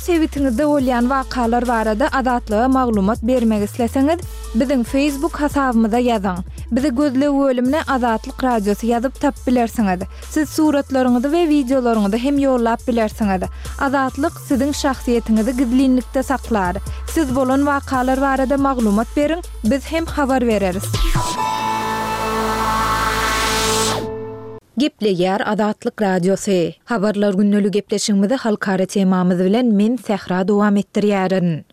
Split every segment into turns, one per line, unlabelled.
sebitiňizde bolýan wakalar barada Azatlyga maglumat bermek isleseňiz, biziň Facebook hasabymyza ýazyň. Bizi gözleg bölümine Azatlyk Radiosy ýazyp tapyp bilersiňiz. Siz suratlaryňyzy we wideolaryňyzy hem ýollap bilersiňiz. Azatlyk siziň şahsyýetiňizi gizlinlikde saklar. Siz bolan wakalar barada maglumat beriň, biz hem habar bereris.
Gepleýär Azatlyk Radiosy. Habarlar gündeli gepleşigimizi halkara temamyz bilen men Sähra dowam etdirýärin.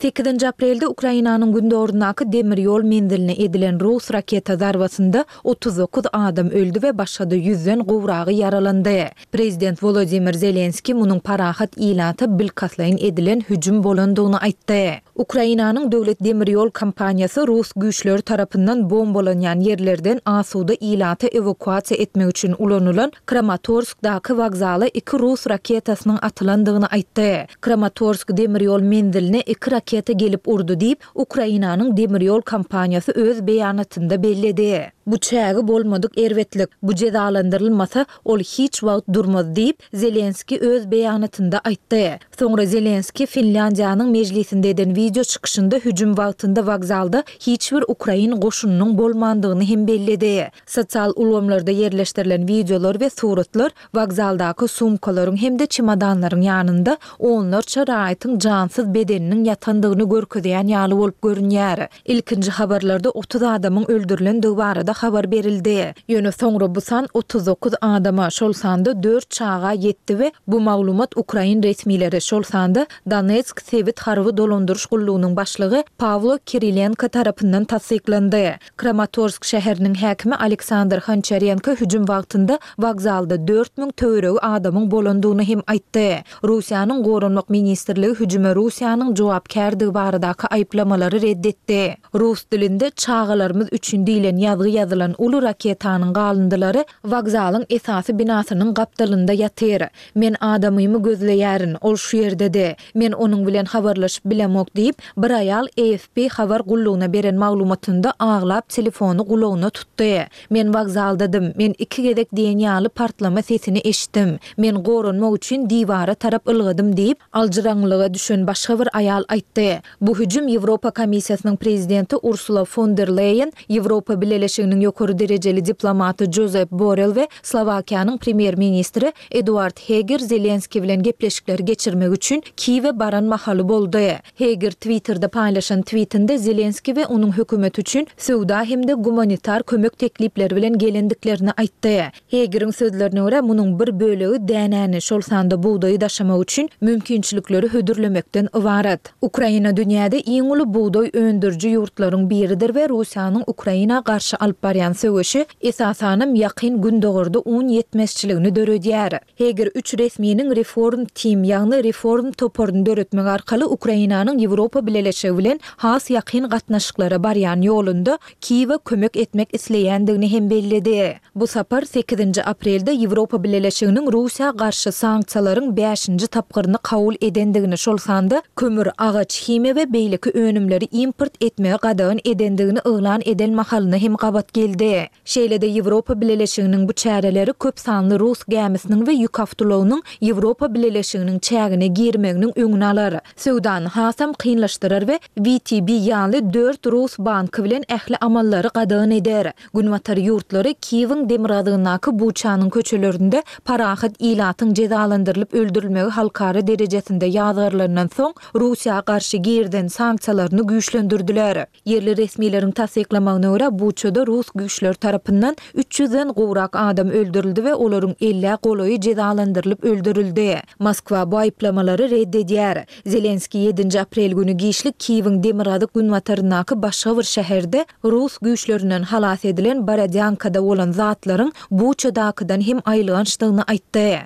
Sekizinji aprelde Ukrainanyň gündogaryndaky demir ýol menziline edilen rus raketa zarbasynda 39 adam öldi we başga-da ýüzden gowragy ýaralandy. Prezident Wolodymyr Zelenskiý munuň parahat ilata bilkastlaýyn edilen hüjüm bolandygyny aýtdy. Ukrainanyň döwlet demir ýol kompaniýasy rus güýçleri tarapyndan bombalanýan ýerlerden asuda ilaty ewakuasiýa etmek üçin ulanylan Kramatorskdaky wokzala iki rus raketasynyň atylandygyny aýtdy. Kramatorsk demir ýol menziline iki raketa gelip urdy diýip, Ukrainanyň demir ýol kompaniýasy öz beýanatynda belledi. Bu çägi bolmadyk erbetlik. Bu jezalandyrylmasa, ol hiç wagt durmaz diýip, Zelenskiý öz beýanatynda aýtdy. Soňra Zelenskiý Finlýandiýanyň mejlisinde eden wideo çykyşynda hüjüm wagtynda wokzalda hiç bir ukrain goşunynyň bolmandygyny hem belledi. Sosial ulgamlarda ýerleşdirilen wideolar we suratlar wokzaldaky sumkalaryň hem-de çemodanlaryň ýanynda onlarça raýatyň jansyz bedeniniň ýatandygyny görkezýän ýaly bolup görünýär. Ilkinji habarlarda 30 adamyň öldürilendigi barada habar berildi. Ýöne soňra bu san 39 adama, şol sanda dört çaga ýetdi we bu maglumat ukrain resmileri, şol sanda Donetsk sebit harby dolandyryş gullugynyň başlygy Pawlo Kirilenko tarapyndan tassyklandy. Kramatorsk şäheriniň häkimi Aleksandr Honçarenko hüjüm wagtynda wokzalda 4000 töweregi adamyň bolandygyny hem aýtdy. Russiýanyň Goranmak ministrligi hüjüme Russiýanyň jogapkärdigi baradaky aýyplamalary red etdi. Rus dilinde Çagalarymyz üçin diýlen ýazgy ýazylan uly raketanyň galyndylary wokzalyň esasy binasynyň gapdalynda ýatyr. Men adamymy gözleýärin, ol şu ýerdedi. Men onuň bilen habarlaşyp bilemok diýip, bir aýal AFP habar gullugyna beren maglumatynda aglap telefony gulagyna tutdy. Men wokzaldadym. Men iki gezek diýen ýaly partlama sesini eşitdim. Men goranmak üçin diwara tarap ylgadym diýip, aljyraňňylyga düşen başga bir aýal aýtdy. Bu hüjüm Ýewropa Komissiýasynyň prezidenti Ursula fon der Leýen, Ýewropa Bileleşiginiň ýokary derejeli diplomaty Jozep Borrell we Slowakiýanyň premýer-ministri Eduard Heger Zelenskiý bilen gepleşikleri geçirmek üçin Kiýewe baran mahaly boldy. Heger Twitterde paýlaşan twitinde Zelenskiý we onuň hökümeti üçin söwda hem-de gumanitar kömek teklipleri bilen gelendiklerini aýtdy. Hegeriň sözlerine görä, munuň bir bölegi dänäni, şol sanda bugdaýy daşamak üçin mümkinçilikleri hödürlemekden ybarat. Ukraina dünýäde iň uly bugdaý öndüriji ýurtlaryň biridir we Russiýanyň Ukraina garşy alyp barýan söweşi, esasanam, Ýakyn Gündogarda un ýetmezçiligini döredýär. Heger üç resminiň Reform Team, ýagny Reform toparyny döretmek arkaly Ukrainanyň Ýewropa Bileleşigi bilen has ýakyn gatnaşyklara barýan ýolunda Kiýewe kömek etmek isleýändigini hem belledi. Bu sapar sekizinji aprelde Ýewropa Bileleşiginiň Russiýa garşy sanksiýalaryň bäşinji tapgyryny kabul edendigini, şol sanda kömür, agaç, himiýa we beýleki önümleri import etmegi gadagan edendigini yglan eden mahalyna hem gabat geldi. Şeýle-de Ýewropa Bileleşiginiň bu çäreleri köp sanly rus gämisiniň we ýük awtoulagynyň Ýewropa Bileleşiginiň çägine girmeginiň öňüni alar, söwdany hasam kynlaşdyrar we WTB ýaly dört rus banky bilen ähli amallary gadagan eder. Günbatar ýurtlary Kiýewiň demirgazygyndaky Buçanyň köçelerinde parahat ilatyň jezalandyrylyp öldürilmegi halkara derejesinde ýazgarylandan soň, Russiýa garşy girizen sanksiýalaryny güýçlendirdiler. Ýerli resmileriň tassyklamagyna görä, Buçada rus güýçleri tarapyndan üç ýüzden gowrak adam öldürildi we olaryň ellä golaýy jezalandyrylyp öldürildi. Moskwa bu aýyplamalary red edýär. Zelenskiý ýedinji aprel güni giçlik Kiýewiň demirgazyk-günbataryndaky başga bir şäherde rus güýçlerinden halas edilen Borodýankada bolan zatlaryň Buçadakydan hem aýylgançdygyny aýtdy.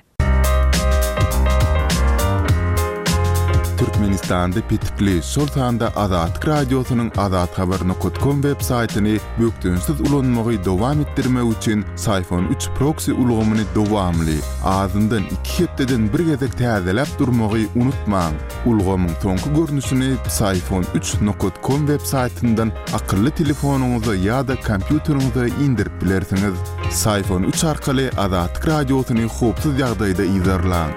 Türkmenistanda petikli, şol sanda Azatlyk Radiosynyň azathabar nokat kom web saýtyny bökdençsiz ulanmagy dowam etdirmek üçin Syfon üç proksi ulgamyny dowamly, azyndan iki hepdeden bir gezek täzeläp durmagy unutmaň. Ulgamyň soňky görnüşini Psiphon üç nokat kom web saýtyndan akylly telefonyňyza ýa-da kompýuteriňize indirip bilersiňiz. Psiphon üç arkaly Azatlyk Radiosyny howpsuz ýagdaýda yzarlaň.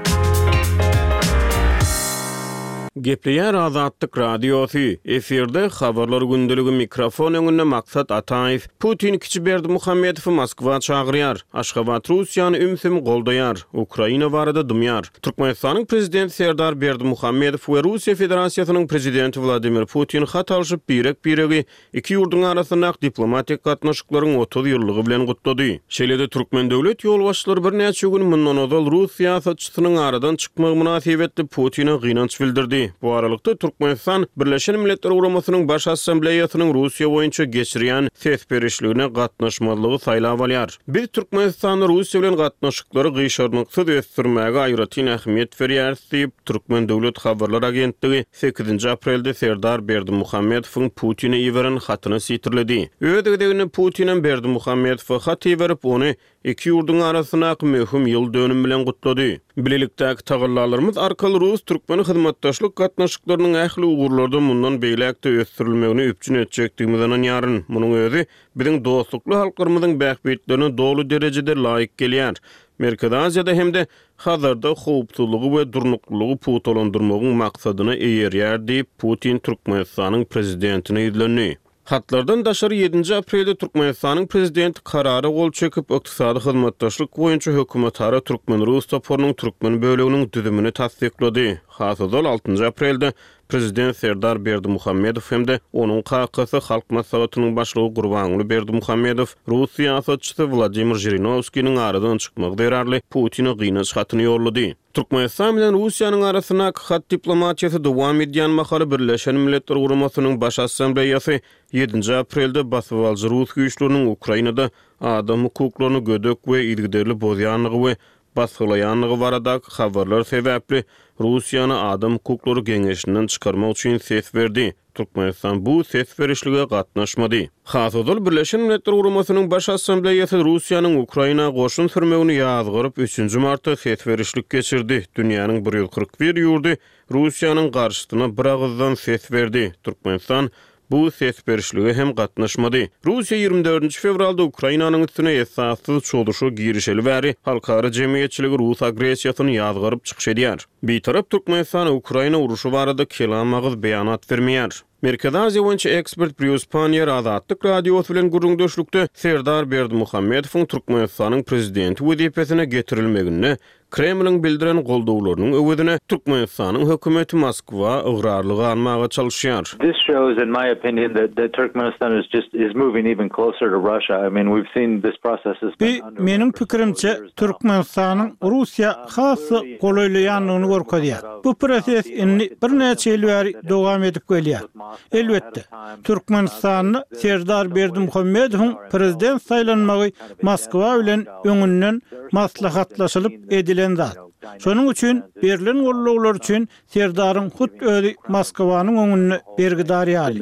Gepleýär Azatlyk Radiosy, efirde Habarlar gündeligi mikrofon öňünde Maksat Ataýew. Putin kiçi Berdimuhamedowy Moskwa çagyrýar. Aşgabat Russiýany ümsüm goldaýar. Ukraina barada dymýar. Türkmenistanyň Prezidenti Serdar Berdimuhamedow we Russiýa Federasiýasynyň Prezidenti Wladimir Putin hat alşyp birek-biregi Iki ýurduň arasyndaky diplomatik gatnaşyklaryň 30 ýyllygy bilen gutlady. Şeýle-de türkmen döwlet ýolbaşçylary birnäçe gün mundan ozal rus syýasatçysynyň aradan çykmagy mynasybetli Putine gynanç bildirdi. Bu aralykda, Türkmenistan Birleşen Milletler Guramasynyň Baş Assambleýasynyň Russiýa boýunça geçirýän ses berişligine gatnaşmazlygy saýlap alýar. Biz Türkmenistanda Russiýa bilen gatnaşyklary gyşarnyksyz ösdürmäge aýratyn ähmiýet berýäris diýip, Türkmen döwlet habarlar agentligi sekizinji aprelde Serdar Berdimuhamedowyň Putine iberen hatyny sitirledi. Öz gezeginde Putinem Berdimuhamedowa hat iberip, ony iki ýurduň arasyndaky möhüm ýyl dönümi bilen gutlady. Bilelikdäki tagallalarymyz arkaly rus-türkmen hyzmatdaşlyk gatnaşyklarynyň ähli ugurlarda mundan beýläk-de ösdürilmegini üpjün etjekdigimize ynanýaryn. Munuň özi biziň dostlukly halklarymyzyň bähbitlerine doly derejede laýyk gelýär. Merkezi Aziýada hem-de Hazarda howpsuzlygy we durnuklylygy pugtalandyrmagyň maksadyna eýerýär diýip, Putin Türkmenistanyň Prezidentine ýüzlendi. Hatlardan daşary ýedinji aprelde Türkmenistanyň Prezidenti Karara gol çekip, Ykdysady hyzmatdaşlyk boýunça hökümetara türkmen-rus toparynyň türkmen böleginiň düzümini tassyklady. Has ozal, altynjy aprelde Prezident Serdar Berdimuhamedow hem-de onuň kakasy, Halk Maslahatynyň Başlygy Gurbanguly Berdimuhamedow rus syýasatçysy Wladimir Žirinowskiniň aradan çykmagy zerarly Putine gynanç hatyny ýollady. Türkmenistan bilen Russiýanyň arasyndaky hat diplomatiýasy dowam edýän mahaly Birleşen Milletler Guramasynyň Baş Assambleýasy ýedinji aprelde basybalyjy rus güýçleriniň Ukrainada adam hukuklaryny gödek we yzygiderli bozýandygy we basgylaýandygy baradaky habarlar sebäpli Russiýany Adam hukuklary geňeşinden çykarmak üçin ses berdi. Türkmenistan bu ses berişlige gatnaşmady. Has ozal Birleşen Milletler Guramasynyň Baş Assambleýasy Russiýanyň Ukraina goşun sürmegini ýazgaryp, üçünji martda ses berişlik geçirdi. Dünýäniň 141 ýurdy Russiýanyň garşysyna biragyzdan ses berdi. Türkmenistan bu ses berişlige hem gatnaşmady. Russiýa 24 fewralda Ukrainanyň üstüne esassyz çozuşa girişeli bäri halkara jemgyýetçiligi rus agressiýasyny ýazgaryp çykyş edýär. Bitarap Türkmenistan Ukraina urşy barada kelam agyz beýanat bermeýär. Merkezi Aziýa boýunça ekspert Brýus Panniýer Azatlyk Radiosy bilen gürrüňdeşlikde Serdar Berdimuhamedowyň Türkmenistanyň prezidenti wezipesine getirilmeginde Kremliň bildiren goldawlarynyň öwezine Türkmenistanyň hökümeti Moskwa ygrarly galmaga çalyşýar.
This shows in my opinion that that Turkmenistan is just is moving even closer to Russia. I mean we've seen this process has been
Bu, meniň pikirimçe, Türkmenistanyň Russiýa has-da golaýlaýandygyny görkezýär. Bu proses indi birnäçe ýyl bäri dowam edip gelýär. Elbetde, Türkmenistanda Serdar Berdimuhamedowyň prezident saýlanmagy Moskwa bilen öňünden maslahatlaşylyp edilen zat. Şonuň üçin berlen gollaglar üçin Serdaryň hut özi Moskwanyň öňünde bergidar ýaly.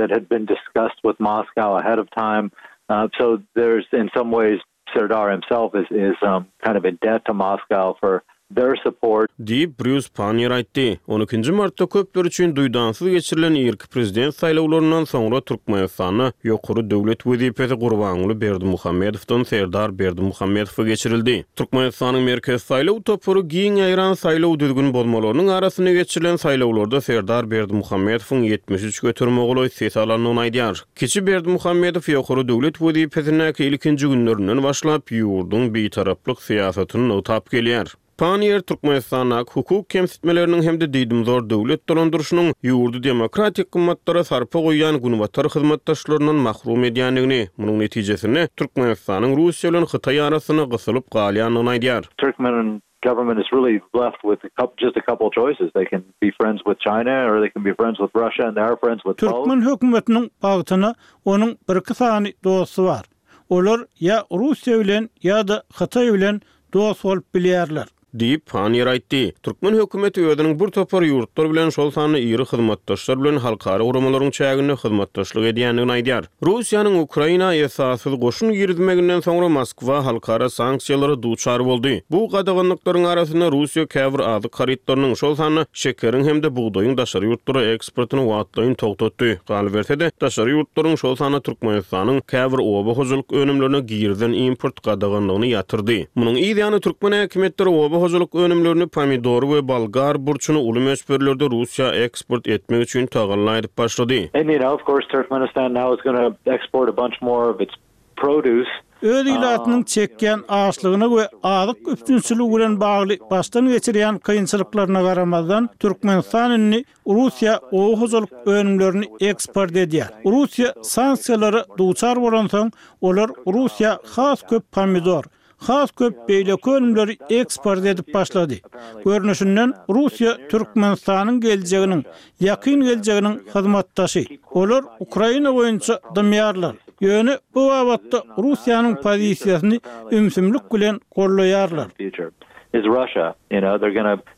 Their support.
Diýip, Brýus Panniýer aýtdy. On ikinji martda köpler üçin duýdansyz geçirilen irki prezident saýlawlaryndan soňra Türkmenistanda ýokary döwlet wezipesi Gurbanguly Berdimuhamedowdan Serdar Berdimuhamedowa geçirildi. Türkmenistanyň Merkezi saýlaw topary giň ýaýran saýlaw düzgün bozmalarynyň arasynda geçirilen saýlawlarda Serdar Berdimuhamedowyň 73 göterime golaý ses alandygyny aýdýar. Kiçi Berdimuhamedow ýokary döwlet wezipesindäki ilkinji günlerinden başlap, ýurduň bitaraplyk syýasatyny nygtap gelýär. Panniýer Türkmenistandaky hukuk kemsitmeleriniň hem-de diýdimzor döwlet dolandyryşynyň ýurdy demokratik gymmatlara sarpa goýýan günbatar hyzmatdaşlaryndan mahrum edýändigini, munuň netijesinde Türkmenistanyň Russiýa bilen Hytaý arasynda gysylyp galýandygyny aýdýar.
Turkmen government is really left with just a couple choices, they can be friends with China or they can be friends with Russia and they are friends with both.
Türkmen hökümetiniň bagtyna onuň birki sany dosty bar. Olar ýa Russiýa bilen ýa-da Hytaý bilen dost bolup bilýärler.
Diýip, Panniýer aýtdy. Türkmen hökümeti özüniň bir topar ýurtlar bilen, şol sanda iri hyzmatdaşlar bilen halkara guramalaryň çäginde hyzmatdaşlyk edýändigini aýdýar. Russiýanyň Ukraina esassyz goşun girizmeginden soňra Moskwa halkara sanksiýalara duçar boldy. Bu gadaganlyklaryň arasynda Russiýa käbir azyk harytlarynyň, şol sanda şekeriň hem-de bugdaýyň daşary ýurtlara eksportyny wagtlaýyn togtatdy. Galyberse-de, daşary ýurtlaryň, şol sanda Türkmenistanyň käbir oba hojalyk önümlerine girizen import gadaganlygyny ýatyrdy. Munuň yz ýany türkmen häkimiýetleri oba. hojalyk önümlerini, pomidory we bolgar burçuny uly möçberlerde Russiýa eksport etmek üçin tagalla edip başlady.
And you know, of course, Turkmenistan now is gonna export a bunch more of its produce.
Öz ilatynyň çekýän açlygyna we azyk üpjünçiligi bilen bagly başdan geçirýän kynçylyklaryna garamazdan, Türkmenistan indi Russiýa oba hojalyk önümlerini eksport edýär. Russiýa sanksiýalara duçar bolansoň, olar Russiýa has köp pomidor, has köp beýleki önümleri eksport edip başlady. Görnüşinden, Russiýa Türkmenistanyň geljeginiň, ýakyn geljeginiň hyzmatdaşy. Olar Ukraina boýunça dymýarlar. Ýöne bu babatda Russiýanyň pozisiýasyny ümsümlik bilen goldaýarlar.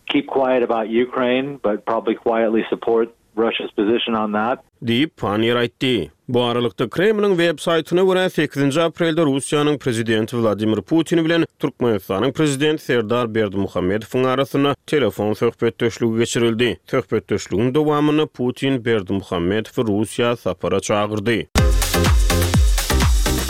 Keep quiet about Ukraine, but probably quietly support Russia's position on that.
Diýip, Panniýer aýtdy. Bu aralykda, Kremliň web saýtyna görä, sekizinji aprelde Russiýanyň Prezidenti Wladimir Putin bilen Türkmenistanyň Prezidenti Serdar Berdimuhamedowyň arasynda telefon söhbetdeşligi geçirildi. Söhbetdeşligiň dowamynda Putin Berdimuhamedowy Russiýa sapara çagyrdy.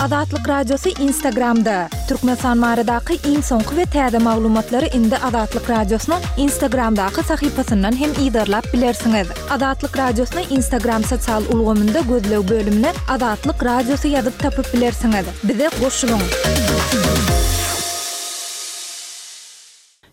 Azatlyk Radiosy Instagramda, Türkmenistan baradaky iň soňky we täze maglumatlary indi Azatlyk Radiosynyň Instagramdaky sahypasyndan hem yzarlap bilersiňiz. Azatlyk Radiosyny Instagram sosial ulgamynda gözleg bölümine Azatlyk Radiosy ýazyp tapyp bilersiňiz. Bize goşulyň!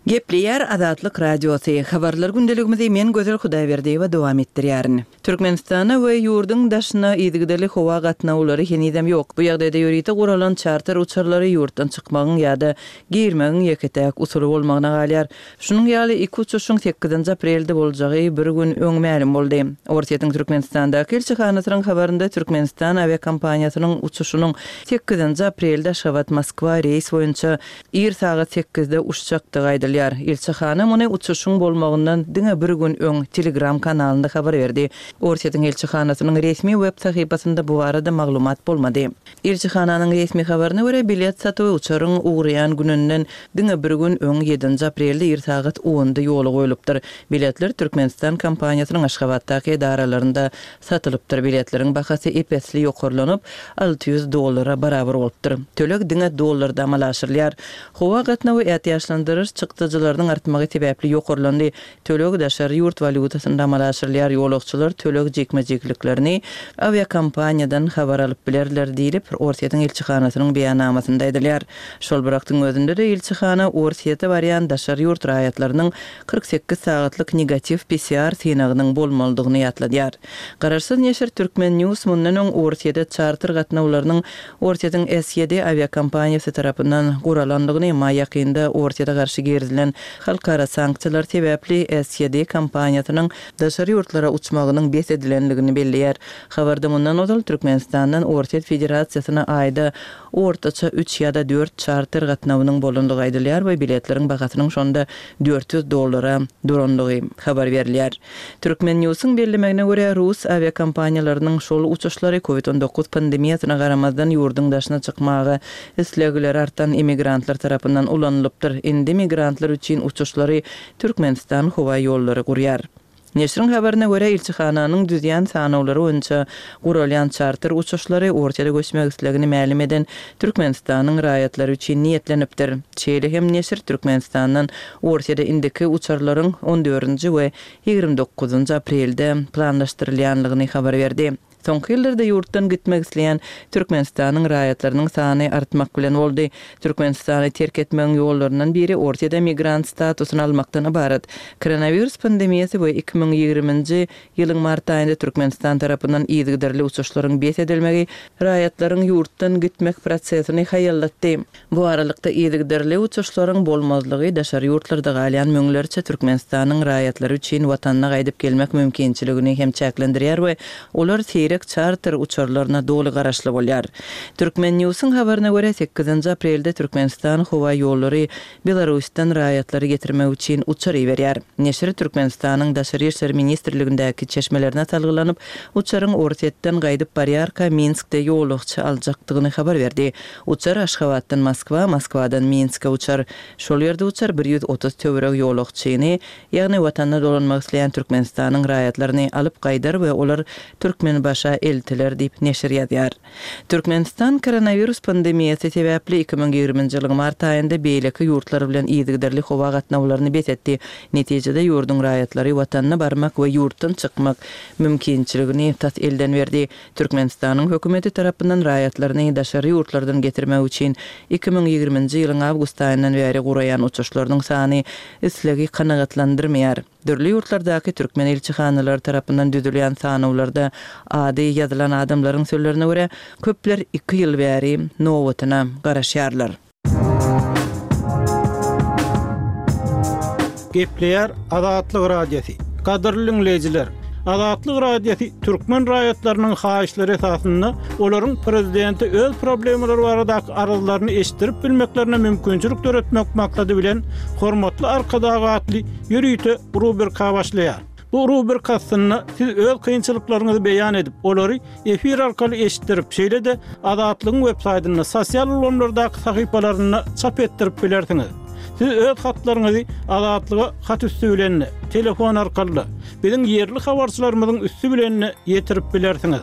Gepleýär Azatlyk Radiosy, Habarlar gündeligimizi men Gözel Hudaýberdiýewa dowam etdirýärin. Türkmenistana we ýurduň daşyna yzygiderli howa gatnawlary henizem ýok. Bu ýagdaýda ýörite guralan çarter uçarlary ýurtdan çykmagyň ýa-da girmegiň ýeke-täk usuly bolmagyna galýar. Şunuň ýaly iki uçuşyň sekizinji aprelde boljagy bir gün öň mälim boldy. Orsýetiň Türkmenistandaky ilçihanasynyň habarynda Türkmenistan awiakompaniýasynyň uçuşynyň sekizinji aprelde Aşgabat-Moskwa reýs boýunça Ir sagat sekizde uçjakdygy aýdylýar. Ilçihana muny uçuşyň bolmagyndan diňe bir gün öň Telegram kanalynda habar berdi. Orsýetiň ilçihanasynyň resmi web sahypasynda bu barada maglumat bolmady. Ilçihananyň resmi habaryna görä, bilet satuwy uçaryň ugraýan gününden diňe bir gün öň, ýedinji aprelde ir sagat onda ýola goýlupdyr. Biletler Türkmenistan kompaniýasynyň Aşgabatdaky edaralarynda Satylypdyr. Biletleriň bahasy ep-esli ýokarlanyp, 600 dollara barabar bolupdyr. Töleg diňe dollarda amala aşyrylýar. Howa gatnawy ätiýaçlandyryş çykdajylarynyň artmagy sebäpli ýokarlandy. Töleg daşary ýurt walýutasynda amala aşyrylýar. Ýolagçylar töleg jikme-jikliklerini awiakompaniýadan habar alyp bilerler diýlip, Orsýetiň ilçihanasynyň beýannamasynda aýdylýar. Şol bir wagtyň özünde-de ilçihana Orsýete barýan daşary ýurt raýatlarynyň 48 sagatlyk negatiw PCR synagynyň bolmalydygyny ýatladýar. Garaşsyz neşir Turkmen News mundan öň Orsýede çarter gatnawlarynyň Orsýetiň SED awiakompaniýasy tarapyndan guralandygyny, emma ýakynda Orsýete garşy girizilen halkara sanksiýalar sebäpli SED kompaniýasynyň daşary ýurtlara uçmagynyň bes edilendigini belleýär. Habarda mundan ozal Türkmenistandan Orsýet Federasiýasyna aýda ortaça üç ýa-da dört çarter gatnawynyň bolandygy aýdylýar we biletleriň bahasynyň şonda 400 dollara durandygy habar berilýär. Turkmen Newsiň bellemegine görä, rus awiakompaniýalarynyň şol uçuşlary Covid 19 pandemiýasyna garamazdan ýurduň daşyna çykmaga islegleri artan immigrantlar tarapyndan ulanylypdyr. Indi migrantlar üçin uçuşlary Türkmenistan howa ýollary gurýar. Neşiriň habaryna görä, ilçihananyň düzýän sanawlary boýunça guralýan çarter uçuşlary Orsýete göçmek islegini mälim eden Türkmenistanyň raýatlary üçin niýetlenipdir. Şeýle hem neşir Türkmenistandan Orsýete indiki uçarlaryň on dördünji we 29-njy aprelde planlaşdyrylýanlygyny habar berdi. Soňky ýyllarda ýurtdan gitmek isleýän Türkmenistanyň raýatlarynyň sany artmak bilen boldy. Türkmenistany terk etmegiň ýollaryndan biri Orsýede migrant statusyny almakdan ybarat. Koronawirus pandemiýasy we 2020-nji ýylyň mart aýynda Türkmenistan tarapyndan yzygiderli uçuşlaryň bes edilmegi raýatlaryň ýurtdan gitmek prosesini haýallatdy. Bu aralykda, yzygiderli uçuşlaryň bolmazlygy daşary ýurtlarda galýan müňlerçe Türkmenistanyň raýatlary üçin watanyna gaýdyp gelmek mümkinçiligini hem çäklendirýär we olar seýrek çarter uçarlaryna doly garaşly bolýar. Turkmen Newsiň habaryna görä, sekizinji aprelde Türkmenistan howa ýollary Belarusdan raýatlary getirmek üçin uçar iberýär. Neşir Türkmenistanyň Daşary işler ministrligindäki çeşmelerine salgylanyp, uçaryň Orsýetden gaýdyp barýarka Minskde ýolagçy aljakdygyny habar berdi. Uçar Aşgabatdan Moskwa, Moskwadan Minske uçar. Şol ýerde uçar 130 töweregi ýolagçyny, ýagny Watanyna dolanmak isleýän Türkmenistanyň raýatlaryny alyp gaýdar we olar Türkmenbaşy. ABŞ-a eltiler diýip, neşir ýazýar. Türkmenistan koronawirus pandemiýasy sebäpli 2020-nji ýylyň mart aýynda beýleki ýurtlar bilen yzygiderli howa gatnawlaryny bes etdi. Netijede, ýurduň raýatlary watanyna barmak we ýurtdan çykmak mümkinçiligini tas elden berdi. Türkmenistanyň hökümeti tarapyndan raýatlaryny daşary ýurtlardan getirmek üçin 2020-nji ýylyň awgust aýyndan bäri guraýan uçuşlarynyň sany islegi kanagatlandyrmaýar. Dürli ýurtlardaky türkmen ilçihanalary tarapyndan düzülýän sanawlarda ady ýazylan adamlaryň sözlerine görä, köpler iki ýyl bäri nobatyna garaşýarlar.
Gepleýär Azatlyk Radiosy. Gadyrly diňleýjiler! Azatlyk Radiosy türkmen raýatlarynyň haýyşlary esasynda olaryň prezidente öz problemalary baradaky arzlaryny eşitdirip bilmeklerine mümkinçilik döretmek maksady bilen Hormatly Arkadag atly ýörite rubrika başlaýar. Bu rubrika astynda siz öz kynçylyklaryňyzy beýan edip, olary efir arkaly eşitdirip, şeýle-de Azatlygyň websaýtynda, sosial ulgamlardaky sahypalarynda çap etdirip bilersiňiz. Siz öz hatlaryňyzy Azatlyga hat üsti bilen-de, telefon arkaly-da, biziň ýerli habarçylarymyzyň üsti bilen-de ýetirip bilersiňiz.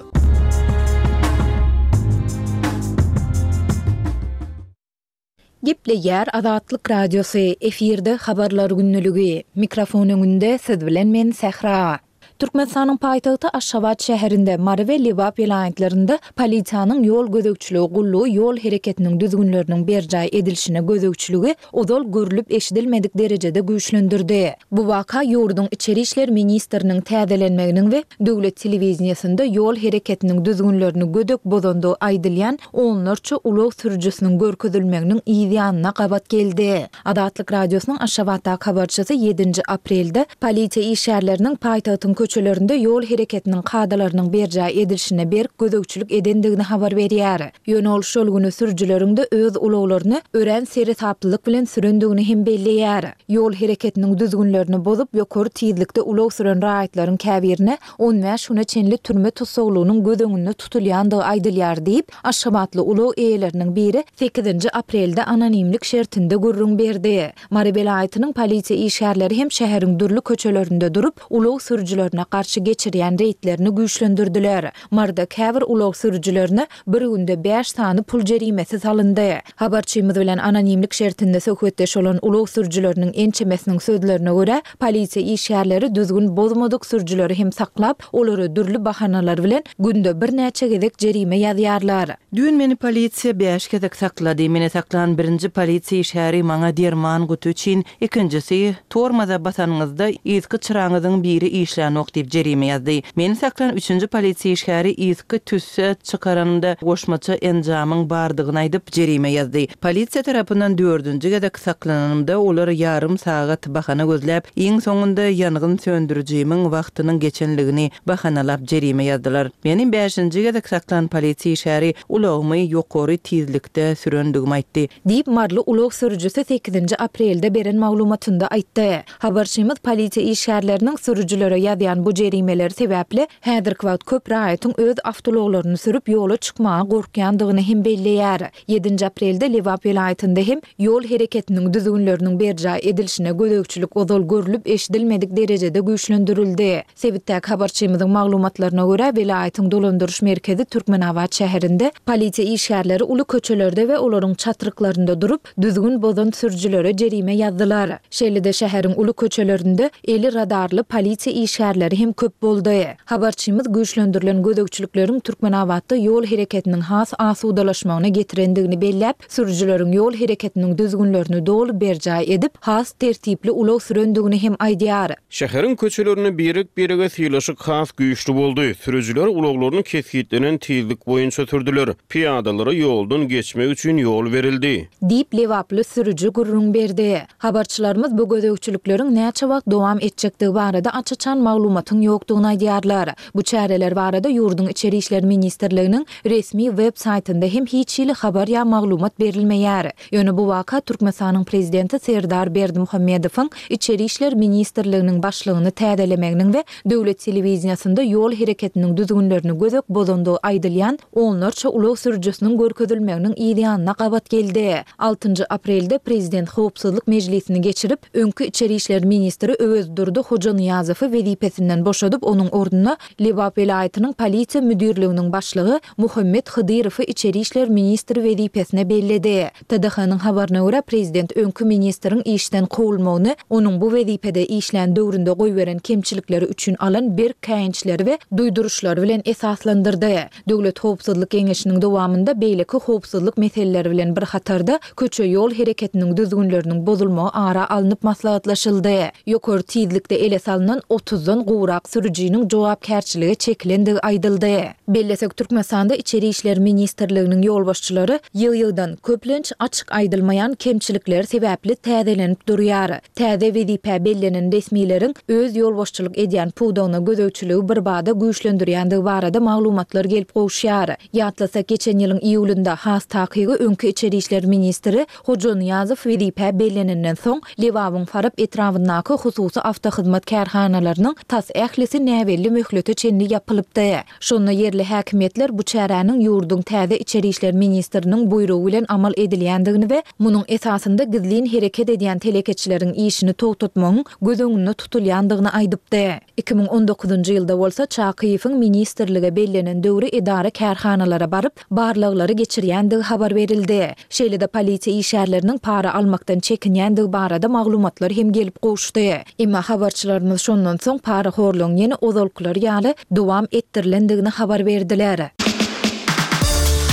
Gepleýär Azatlyk Radiosy, efirde Habarlar gündeligi. Mikrofon öňünde siz bilen men Sähra. Türkmenistanyň paýtagty Aşgabat şäherinde, Mary we Lebap welaýatlarynda polisiýanyň ýol gözegçiligi gullugy ýol hereketiniň düzgünleriniň berjaý edilişine gözegçiligi ozal görlüp-eşidilmedik derejede güýçlendirdi. Bu waka ýurduň içeri işler ministriniň täzelenmeginiň we döwlet telewideniýesinde ýol hereketiniň düzgünlerini gödek bozandygy aýdylýan onlarça ulag sürüjisiniň görkezilmeginiň yz ýanyna gabat geldi. Azatlyk Radiosynyň Aşgabatdaky habarçysy ýedinji aprelde polisiýa işgärleriniň paýtagtyň köçelerinde ýol hereketiniň kadalarynyň berjaý edilişine berk gözegçilik edendigini habar berýär. Ýöne ol şol güni sürüjileriň-de öz ulaglaryny örän seresaplylyk bilen sürendigini hem belleýär. Ýol hereketiniň düzgünlerini bozup, ýokary tizlikde ulag süren raýatlaryň käbirine 15 güne çenli türme tussaglygynyň göz öňünde tutulýandygy aýdylýar diýip, aşgabatly ulag eýeleriniň biri sekizinji aprelde anonimlik şertinde gürrüň berdi. Mary welaýatynyň polisiýa işgärleri hem şäheriň dürli köçelerinde durup, ulag sürüjilerine garşy geçirýän reýdlerini güýçlendirdiler. Maryda käbir ulag sürüjilerine bir günde bäş sany pul jerimesi salyndy. Habarçymyz bilen anonimlik şertinde söhbetdeş bolan ulag sürüjileriniň ençemesiniň sözlerine görä, polisiýa işgärleri düzgün bozmadyk sürüjileri hem saklap, olara dürli bahanalar bilen günde birnäçe gezek jerime ýazýarlar.
Düýn meni polisiýa bäş gezek saklady. Meni saklan birinji polisiýa işgäri maňa derman guty üçin, ikinjisi, tormoza basanyňyzda yzky çyraňyzyň biri işlänok diýip jerime ýazdy. Meni saklan üçünji polisiýa işgäri yzky tüsse çykaranymda goşmaça enjamyň bardygyny aýdyp, jerime ýazdy. Polisiýa tarapyndan dördünji gezek saklananymda olar ýarym sagat bahana gözläp, iň soňunda ýangyn söndürijimiň wagtynyň geçenligini bahanalap jerime ýazdylar. Meni bäşinji gezek saklan polisiýa işgäri ulagymy ýokary tizlikde sürendigimi aýtdy.
Diýip, maryly ulag sürüjisi sekizinji aprelde beren maglumatynda aýtdy. Habarçymyz polisiýa işgärleriniň sürüjilere ýazýan bu jerimeleri sebäpli häzirki wagt köp raýatyň öz awtoulaglaryny sürüp ýola çykmaga gorkýandygyny hem belleýär. Ýedinji aprelde Lebap welaýatynda hem ýol hereketiniň düzgünleriniň berjaý edilişine gözegçilik ozal görlüp-eşidilmedik derejede güýçlendirildi. Sebitdäki habarçymyzyň maglumatlaryna görä, welaýatyň dolandyryş merkezi Türkmenabat şäherinde polisiýa işgärleri uly köçelerde we olaryň çatryklarynda durup, düzgün bozan sürüjilere jerime ýazdylar. Şeýle-de şäheriň uly köçelerinde eli radarly polisiýa işgärleri hem köp boldy. Habarçymyz güýçlendirilen gözegçilikleriň Türkmenabatda ýol hereketiniň has asudalaşmagyna getirendigini belläp, sürüjileriň ýol hereketiniň düzgünlerini doly berjaý edip, has tertipli ulag sürendigini hem aýdýar.
Şäheriň köçelerinde birek-birege sylaşyk has güýçli boldy. Sürüjiler ulaglaryny kesgitlenen tizlik boýunça sürdüler. Pyýadalara ýoldan geçmek üçin ýol berildi.
Diýip, lebaply sürüji gürrüň berdi. Habarçylarymyz bu gözegçilikleriň näçe wagt dowam etjekdigi barada aç-açan maglumatyň ýokdugyny aýdýarlar. Bu çäreler barada ýurduň Içeri işler ministrliginiň resmi web saýtynda hem hiç hili habar ýa maglumat berilmeýär. Ýöne bu waka Türkmenistanyň prezidenti Serdar Berdimuhamedowyň Içeri işler ministrliginiň başlygyny täzelemeginiň we döwlet telewideniýesinde ýol hereketiniň düzgünlerini gödek bozandygy aýdylýan onlarça ulag sürüjisiniň görkezilmeginiň yz ýanyna gabat geldi. Altynjy aprelde prezident howpsuzlyk mejlisini geçirip, öňki içeri işler ministri Öwezdurdy Hojanyýazowy wezipesinden. wezipesinden boşadyp, onuň ornuna Lebap welaýatynyň polisiýa müdirliginiň başlygy Muhammet Hydyrowy içeri işler ministri wezipesine belledi. TDH-nyň habaryna görä, prezident öňki ministriň işden kowulmagyny onuň bu wezipede işlän döwründe goýberen kemçilikleri üçin alan berk käýinçleri we duýduryşlary bilen esaslandyrdy. Döwlet howpsuzlyk geňeşiniň dowamynda beýleki howpsuzlyk meseleleri bilen bir hatarda, köçe-ýol hereketiniň düzgünleriniň bozulmagy ara alnyp maslahatlaşyldy. Ýokary tizlikde ele salnan otuzdan gowrak sürüjiniň jogapkärçilige çekilendigi aýdyldy. Bellesek, Türkmenistanda Içeri işler ministrliginiň ýolbaşçylary ýygy-ýygydan, köplenç, açyk aýdylmaýan kemçilikleri sebäpli täzelenip durýar. Täze wezipä bellenen resmileriň öz ýolbaşçylyk edýän pudagyna gözegçiligi birbada güýçlendirýändigi barada maglumatlar gelip gowuşýar. Ýatlasak, geçen ýylyň iýulynda, has takygy öňki içeri işler ministri Hoja Nyýazow wezipä bellenenden soň, Lebabyň Farap etrabyndaky hususy awtohyzmat kärhanalarynyň tas ählisi näbelli möhlete çenli ýapylypdy. Şonda ýerli häkimiýetler bu çäräniň ýurduň täze içeri işler ministriniň buýrugy bilen amal edilýändigini we munuň esasynda gizlin hereket edýän telekeçileriň işini togtatmagyň göz öňünde tutulýandygyny aýdypdy. 2019-njy ýylda bolsa Çakyýewiň ministrlige bellenen döwri edara-kärhanalara baryp, barlaglary geçirýändigi habar berildi. Şeýle-de polisiýa işgärleriniň para almakdan çekinýändigi barada maglumatlar hem gelip gowuşdy. Emma habarçylarymyz şondan soň parahorlugyň ýene ozalkylary ýaly dowam etdirilendigini habar berdiler.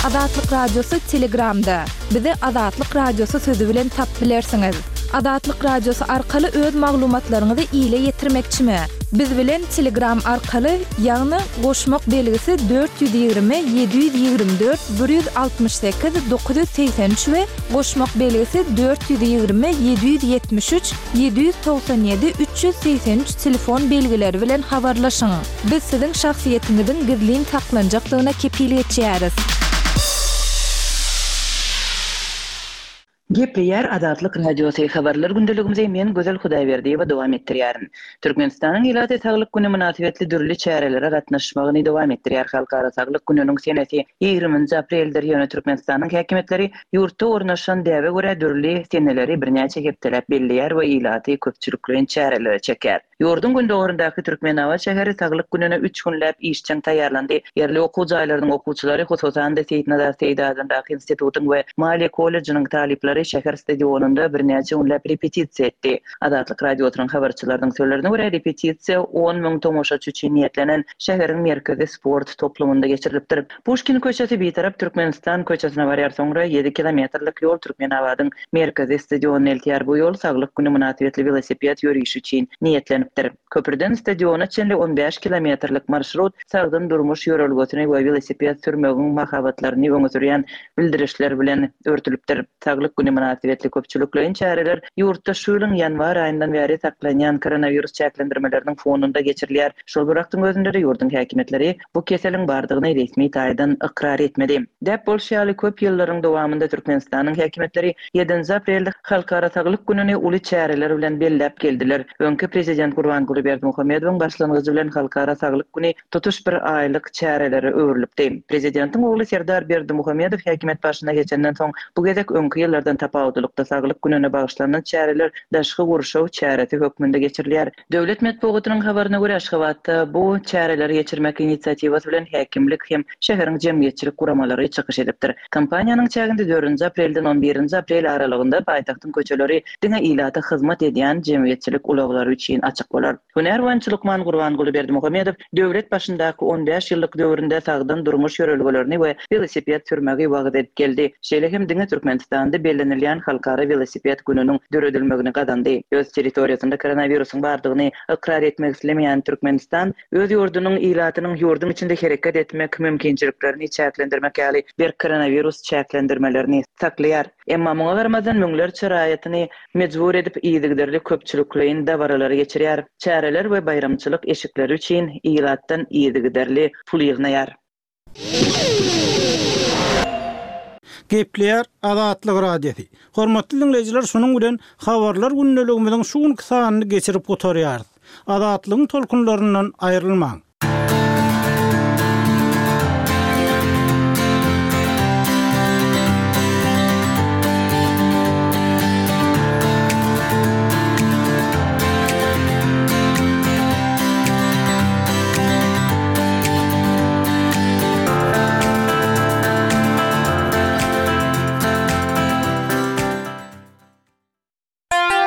Azatlyk Radiosy Telegramda. Bizi Azatlyk Radiosy sözi bilen tapyp bilersiňiz. Azatlyk Radiosy arkaly öz maglumatlaryňyzy ile ýetirmekçimi? Biz bilen Telegram arkaly, ýagny goşmak belgisi 420 724 168 983 we goşmak belgisi 420 773 797 383 telefon belgileri bilen habarlaşyň. Biz siziň şahsyýetiňiziň gizlin saklanjakdygyna kepil geçýäris.
Gepleýär Azatlyk Radiosy, Habarlar gündeligimizi men Gözel Hudaýberdiýewa dowam etdirýärin. Türkmenistanyň ilaty Saglyk güni mynasybetli dürli çärelere gatnaşmagyny dowam etdirýär. Halkara saglyk gününiň senesi ýigriminji apreldir, ýöne Türkmenistanyň häkimiýetleri ýurtda ornaşan däbe görä dürli seneleri birnäçe hepdeläp belleýär we ilaty köpçülikleýin çärelere çekýär. Ýurduň gündogaryndaky Türkmenabat şäheri Saglyk gününe üç günläp işjeň taýýarlandy. Ýerli okuw jaýlarynyň okuwçylary, hususan-da, Seýitnazar Seýdi adyndaky institutyň we maliýe kollejiniň talyplary şäher stadionynda birnäçe günläp repetisiýa etdi. Azatlyk Radiosynyň habarçylarynyň sözlerine görä, repetisiýa on müň tomaşaçy üçin niýetlenen şäheriň merkezi sport toplumynda geçirilipdir. Puşkin köçesi Bitarap Türkmenistan köçesine barýar, soňra ýedi kilometrlik ýol Türkmenabadyň merkezi stadionyna eltýär. Bu ýol Saglyk güni mynasybetli welosiped ýörişi üçin niýetlenipdir. Köprüden stadiona çenli on bäş kilometrlik marşrut sagdyn durmuş ýörelgesini we welosiped sürmegiň mahabatlaryny öňe sürýän bildirişler bilen örtülipdir. Saglyk güni mynasybetli köpçülikleýin çäreler ýurtda şu ýylyň ýanwar aýyndan bäri saklanýan koronawirus çäklendirmeleriniň fonunda geçirilýär. Şol bir wagtyň özünde-de ýurduň häkimiýetleri bu keseliň bardygyny resmi taýdan ykrar etmedi. Däp bolşy ýaly, köp ýyllaryň dowamynda Türkmenistanyň häkimiýetleri ýedinji aprelde Halkara saglyk gününi uly çäreler bilen belläp geldiler. Öňki prezident Gurbanguly Berdimuhamedowyň başlangyjy bilen Halkara saglyk güni tutuş bir aýlyk çärelere öwrülipdi. Prezidentiň ogly Serdar Berdimuhamedow häkimiýet başyna geçenden soň, bu gezek öňki ýyllardan tapawutlylykda Saglyk gününe bagyşlanan çäreler daşky gurşaw çäresi hökmünde geçirilýär. Döwlet metbugatynyň habaryna görä, Aşgabatda bu çäreleri geçirmek inisiatiwasy bilen häkimlik hem şäheriň jemgyýetçilik guramalary çykyş edipdir. Kampaniýanyň çäginde dördünji aprelden on birinji aprel aralygynda paýtagtyň köçeleri diňe ilata hyzmat edýän jemgyýetçilik ulaglary üçin açyk bolar. Hünär boýunça lukman Gurbanguly Berdimuhamedow döwlet başyndaky on bäş ýyllyk döwründe sagdyn durmuş ýörelgelerini we welosiped sürmegi wagyz edip geldi. Şeýle hem diňe Türkmenistanda bellenilýän Halkara welosiped gününiň döredilmegini gazandy. Öz territoriýasynda koronawirusyň bardygyny ykrar etmek islemeýän Türkmenistan öz ýurdunyň ilatynyň ýurduň içinde hereket etmek mümkinçiliklerini çäklendirmek ýaly berk koronawirus çäklendirmelerini saklaýar. Emma muňa garamazdan müňlerçe raýatyny mejbur edip yzygiderli köpçülikleýin dabaralary geçirýär, çäreler we baýramçylyk eşikleri üçin ilatdan yzygiderli pul ýygnaýar.
Gepleýär Azatlyk Radiosy. Hormatly diňleýjiler şunuň bilen Habarlar gündeligimiziň şu günki sanyny geçirip gutarýarys. Azatlygyň tolkunlaryndan aýrylmaň!